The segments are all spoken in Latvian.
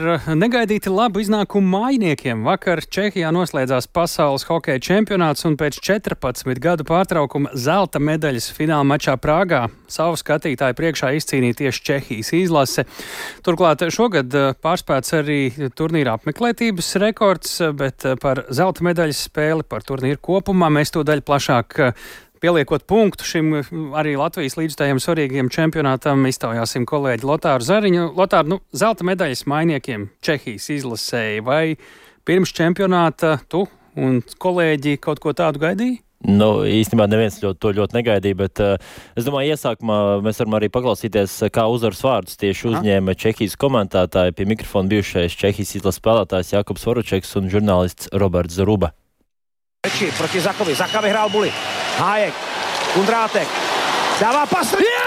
Negaidīti labu iznākumu mājiniekiem. Vakar Čehijā noslēdzās pasaules hokeja čempionāts un pēc 14 gadu pārtraukuma zelta medaļas fināla mačā Prāgā savu skatītāju priekšā izcīnīja tieši Čehijas izlase. Turklāt šogad pārspēts arī turnīra apmeklētības rekords, bet par zelta medaļas spēli, par turnīru kopumā mēs tūdaļ plašāk pieliekot punktu šim arī Latvijas līdzstājiem svarīgiem čempionātam, iztaujāsim kolēģi Lotāru Zariņu. Lotāru, zelta medaļas mainiekiem Čehijas izlasēja, vai pirms čempionāta tu un kolēģi kaut ko tādu gaidīja? Īstenībā neviens to ļoti negaidīja, bet es domāju, iesākumā mēs varam arī paklausīties, kā uzvaras vārdus tieši uzņēma Čehijas komentētāji, pie mikrofona bijušais Čehijas izlases spēlētājs Jakubs Voručeks un žurnālists Roberts Zaruba. Proti Zakovi. Zaka vyhrál Buli. Hájek. Kundrátek. Dává pas. Jo!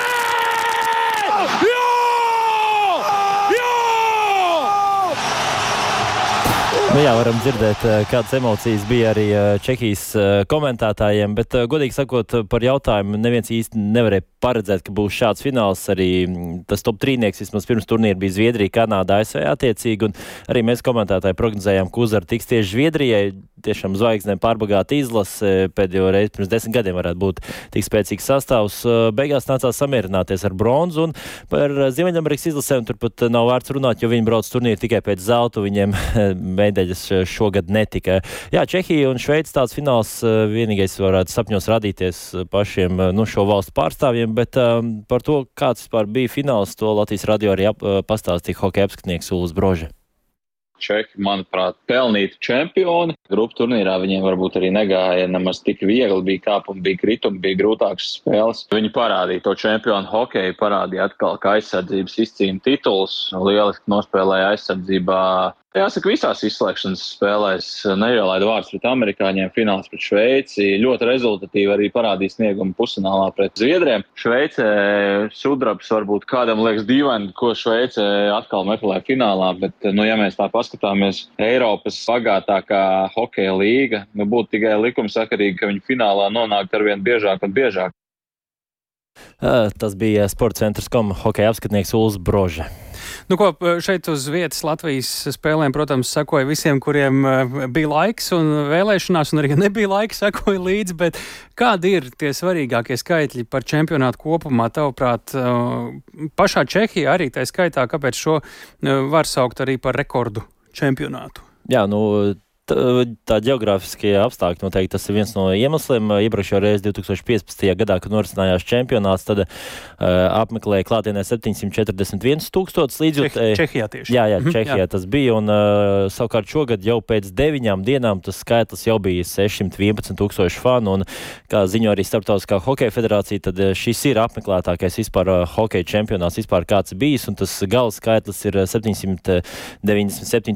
Varam dzirdēt, kādas emocijas bija arī Čehijas komentētājiem, bet, godīgi sakot, par jautājumu neviens īsti nevarēja paredzēt, ka būs šāds fināls. Arī tas top trīnieks vismaz pirms turnīra bija Zviedrija, Kanāda, ASV attiecīgi, un arī mēs komentētāji prognozējām, ka uzvara tiks tieši Zviedrijai. Tiešām zvaigznēm pārbagāta izlase, pēdējo reizi pirms 10 gadiem varētu būt tik spēcīgs sastāvs. Beigās nācās samierināties ar bronzu, un par Ziemeļamerikas izlasēm turpat nav vērts runāt, jo viņi brauc turnīru tikai pēc zelta, viņiem medaļas šogad netika. Jā, Čehija un Šveica tāds fināls vienīgais varētu sapņos radīties pašiem šo valstu pārstāvjiem, bet par to, kāds vispār bija fināls, to Latvijas radio arī pastāstīja hokeja apskatnieks Uldis Brože. Čehi, manuprāt, pelnīti čempioni. Grupu turnīrā viņiem varbūt arī negāja nemaz tik viegli, bija kāpumi, bija kritumi, bija grūtākas spēles. Viņi parādīja to čempionu hokeju, parādīja atkal, ka aizsardzības izcīna tituls, lieliski nospēlēja aizsardzībā. Jāsaka, visās izslēgšanas spēlēs neielaida vārds pret amerikāņiem, fināls pret Šveici. Ļoti rezultatīvi arī parādīja sniegumu pusfinālā pret Zviedriem. Šveicē sudrabs varbūt kādam liekas dīvaini, ko Šveicē atkal meklē finālā, bet, ja mēs tā paskatāmies, Eiropas bagātākā hokeja līga, būtu tikai likumsakarīgi, ka viņi finālā nonāktu arvien biežāk un biežāk. Tas bija Sportcentrs.com hokeja apskatnieks Uldis Brože. Šeit uz vietas Latvijas spēlēm, protams, sekoja visiem, kuriem bija laiks un vēlēšanās, un arī nebija laika, sekoja līdzi, bet kādi ir tie svarīgākie skaitļi par čempionātu kopumā, tavuprāt, pašā Čehijā arī tā skaitā, kāpēc šo var saukt arī par rekordu čempionātu? Jā, tā ģeogrāfiskie apstākļi noteikti tas ir viens no iemesliem. Iepriekšējā reizi 2015. gadā, kad norisinājās čempionāts, tad apmeklēja klātienē 741 tūkstotis līdzjutēji. Čehijā tieši. Jā, Čehijā tas bija, un savukārt šogad jau pēc 9 dienām tas skaitlis jau bija 611 tūkstoši fanu, un kā ziņo arī Starptautiskā hokeja federācija, tad šis ir apmeklētākais vispār hokeja čempionāts vispār kāds bijis, un tas gala skaitlis ir 797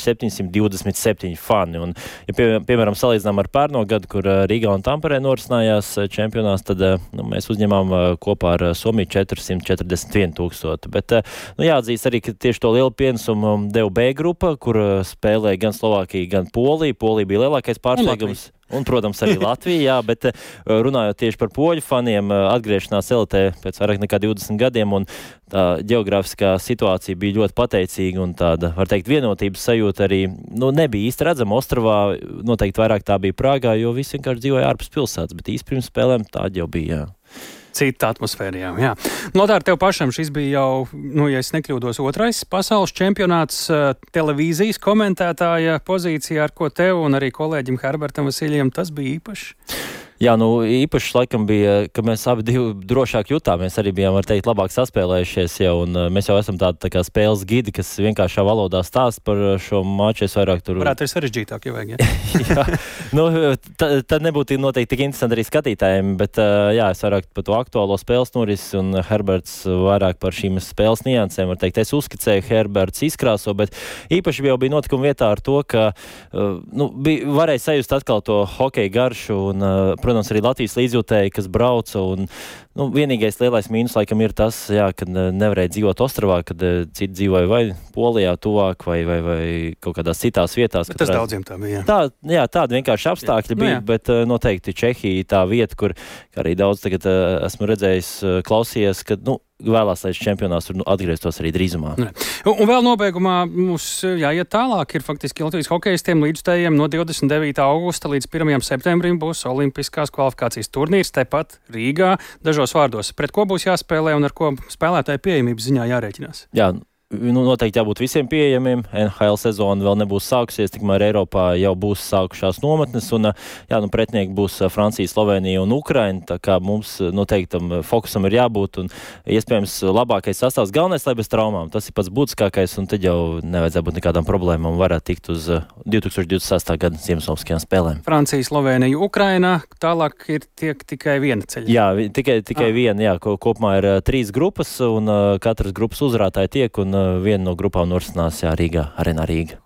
727 fani. Un, ja piemēram salīdzinām ar pērno gadu, kur Rīgā un Tamperē norisinājās čempionāts, tad mēs uzņemām kopā ar Somiju 441 tūkstoti. Bet jāatzīst arī, ka tieši to lielu pienesumu deva B grupa, kur spēlēja gan Slovākija, gan Polija. Polija bija lielākais pārsteigums. Un, protams, arī Latvija, jā, bet runājot tieši par poļu faniem, atgriešanās elitē pēc vairāk nekā 20 gadiem, un tā ģeogrāfiskā situācija bija ļoti pateicīga, un tāda, var teikt, vienotības sajūta arī, nebija īsti redzama. Ostravā noteikti vairāk tā bija Prāgā, jo visi vienkārši dzīvoja ārpus pilsētas, bet īsti pirms spēlēm tā jau bija, jā. Cita atmosfēra, jā. Lotār, tev pašam šis bija jau, ja es nekļūdos, otrais pasaules čempionāts televīzijas komentētāja pozīcijā, ar ko tev un arī kolēģim Herbertam Vasiļiem tas bija īpaši? Jā, īpaši laikam bija, ka mēs abi divi drošāk jutāmies, arī bijām, var teikt, labāk saspēlējušies jau, un mēs jau esam tādi tā kā spēles gidi, kas vienkāršā valodā stāst par šo maču. Es vairāk tur... Varētu ir sarežģītāk, ja vajag, ja? Jā, tad nebūtu noteikti tik interesanti arī skatītājiem, bet jā, es vairāk par to aktuālo spēles norisi, un Herberts vairāk par šīm spēles niansēm, var teikt, es uzskicēju, Herberts izkrāso, bet īpaši jau bija notikuma vietā ar to, ka varēja sajust atkal to hokeja garšu, un, protams, arī Latvijas līdzjūtēji, kas brauca, un vienīgais lielais mīnus laikam ir tas, jā, kad nevarēja dzīvot Ostravā, kad citi dzīvoja vai Polijā tuvāk, vai kaut kādās citās vietās. Bet tas daudziem tā bija, jā. Tādi vienkārši apstākļi bija, bet noteikti Čehija tā vieta, kur arī daudz tagad esmu redzējis, klausījies, ka, vēlās, lai čempionāts tur atgrieztos arī drīzumā. Un vēl nobeigumā mums jāiet tālāk. Ir faktiski Latvijas hokejistiem līdzstējiem no 29. augusta līdz 1. septembrim būs olimpiskās kvalifikācijas turnīrs tepat Rīgā. Dažos vārdos, pret ko būs jāspēlē un ar ko spēlētāju pieejamības ziņā jārēķinās? Jā, noteikti jābūt visiem pieejamiem. NHL sezona vēl nebūs sākusies, tikmēr Eiropā jau būs sākušās nometnes, un pretinieki būs Francija, Slovenija un Ukraina, tā kā mums noteiktam fokusam ir jābūt, un iespējams labākais sastāvs. Galvenais, lai bez traumām, tas ir pats būtiskākais, un tad jau nevajadzētu būt nekādām problēmām, un varētu tikt uz 2026. gada Ziemassvētku spēlēm. Francija, Slovenija, Ukraina, tālāk ir tikai viena ceļa. Jā, tikai viena, jā, kopumā ir 3 grupas, un katras grupas uzvarētāji tiek, un viena no grupām norisinās Rīgā, Arēnā Rīga.